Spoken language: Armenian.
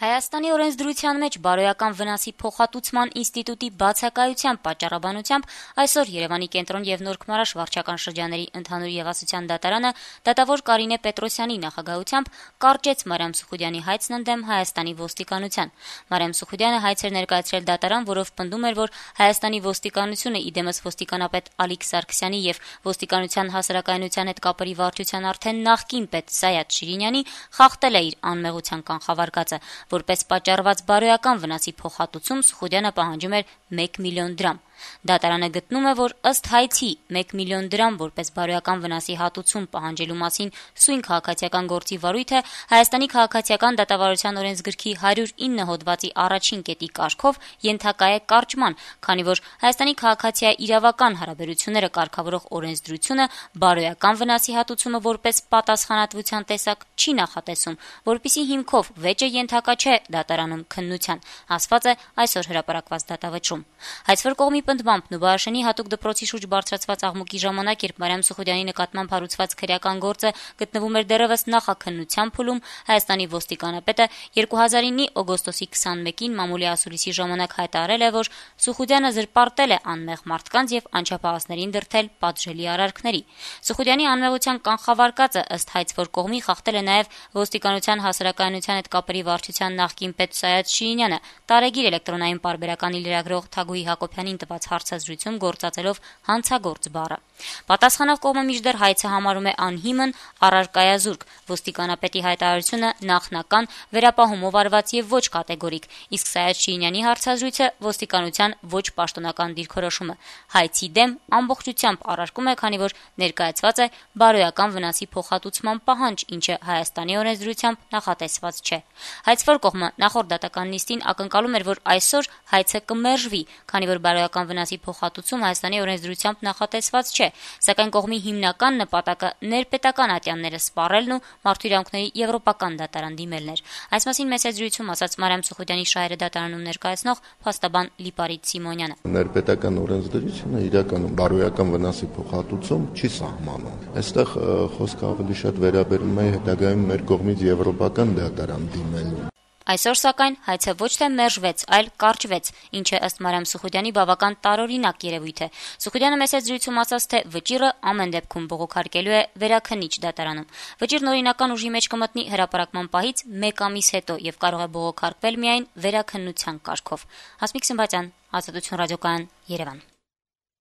Հայաստանի օրենսդրության մեջ բարոյական վնասի փոխհատուցման ինստիտուտի բացակայության պատճառաբանությամբ այսօր Երևանի կենտրոն եւ Նոր Քմարաշ վարչական շրջանների ընդհանուր եւ ասոցիան դատարանը դատավոր Կարինե Պետրոսյանի նախագահությամբ կարճեց Մարիամ Սուխուդյանի հայցն ընդդեմ Հայաստանի ոստիկանության։ Մարիամ Սուխուդյանը հայց էր ներկայացրել դատարան, որով պնդում էր, որ Հայաստանի ոստիկանությունը իդեմս ոստիկանապետ Ալիկ Սարգսյանի եւ ոստիկանության հասարակայնության հետ կապերի վարչության արդեն նախկին պետ Սայաթ Շիրինյանի խախտել է իր անմեղության կանխավարկածը։ Որպես պատճառված բարոյական վնասի փոխհատուցում Սուխուդյանը պահանջում էր 1 միլիոն դրամ։ Դատարանը գտնում է, որ ըստ հայցի 1 միլիոն դրամ որպես բարոյական վնասի հատուցում պահանջելու մասին սույն քաղաքացիական գործի վարույթը Հայաստանի քաղաքացիական դատավարության օրենսգրքի 109 հոդվածի առաջին կետի կարգով ենթակա է կարճման, քանի որ Հայաստանի քաղաքացիայի իրավական հարաբերությունները կարգավորող օրենսդրությունը բարոյական վնասի հատուցումը որպես պատասխանատվության տեսակ չի նախատեսում, որպիսի հիմքով վեճը ենթակա չէ դատարանում քննության, ասված է այսօր հրապարակված դատավճռում։ Հայցվոր կողմի պնդմամբ Նուբարաշենի հատուկ դպրոցի շուրջ բարձրացված աղմուկի ժամանակ, երբ Մարիամ Սուխուդյանի նկատմամբ հարուցված քրեական գործը գտնվում էր դեռևս նախաքննության փուլում, Հայաստանի ոստիկանապետը 2009-ի օգոստոսի 21-ին մամուլի ասուլիսի ժամանակ հայտարարել է, որ Սուխուդյանը զրպարտել է անմեղ մարդկանց եւ անչափահասներին դրդել պատժելի արարքների։ Սուխուդյանի անմեղության կանխավարկածը ըստ հայցվոր կողմի խախտել է նաեւ ոստիկանության հասարակայնության հետ կապերի վարչության նախկին պետ Սայաթ Շիրինյանը, տարեգիր էլեկտրոնային պարբերականի լրագրող Թագուհի Հակոբյանին տված հարցազրույցում գործածելով հանցագործ բառը։ Պատասխանող կողմը մինչդեռ հայցը համարում է անհիմն, առարկայազուրկ, ոստիկանապետի հայտարարությունը նախնական, վերապահումով արված եւ ոչ կատեգորիկ, իսկ Սայաթ Շիրինյանի հարցազրույցը ոստիկանության ոչ պաշտոնական դիրքորոշումը։ Հայցի դեմ ամբողջությամբ առարկում է, քանի որ ներկայացված է բարոյական վնասի փոխհատուցման պահանջ, ինչը Հայաստանի օրենսդրությամբ նախատեսված չէ։ Հայցվոր կողմը նախորդ դատական նիստին ակնկալում էր, որ այսօր հայցը կմերժվի, քանի որ բարոյական վնասի փոխհատուցում Հայաստանի օրենսդրությամբ նախատեսված չէ, սակայն կողմի հիմնական նպատակը ներպետական ատյանները սպառելն ու մարդու իրավունքների եվրոպական դատարան դիմելն էր։ Այս մասին մեծ զրույցում ասաց Մարիամ Սուխուդյանի շահերը դատարանում ներկայացնող փաստաբան Լիպարիտ Սիմոնյանը։ Ներպետական օրենսդրությունը իրականում բարոյական վնասի փոխհատուցում չի սահմանում։ Այստեղ խոսքը ավելի շատ վերաբերում է հետագայում մեր կողմից եվրոպական դատարան դիմելուն։ Այսօր սակայն հայցը ոչ թե մերժվեց, այլ կարճվեց, ինչը ըստ Մարիամ Սուխուդյանի բավական տարօրինակ երևույթ է։ Սուխուդյանը մեծ զրույցում ասաց, թե վճիռը ամեն դեպքում բողոքարկելու է վերաքննիչ դատարանում։ Վճիռն օրինական ուժի մեջ կմտնի հրապարակման պահից 1 ամիս հետո եւ կարող է բողոքարկվել միայն վերաքննության կարգով։ Հասմիկ Սմբատյան, Ազատություն ռադիոկայան, Երևան։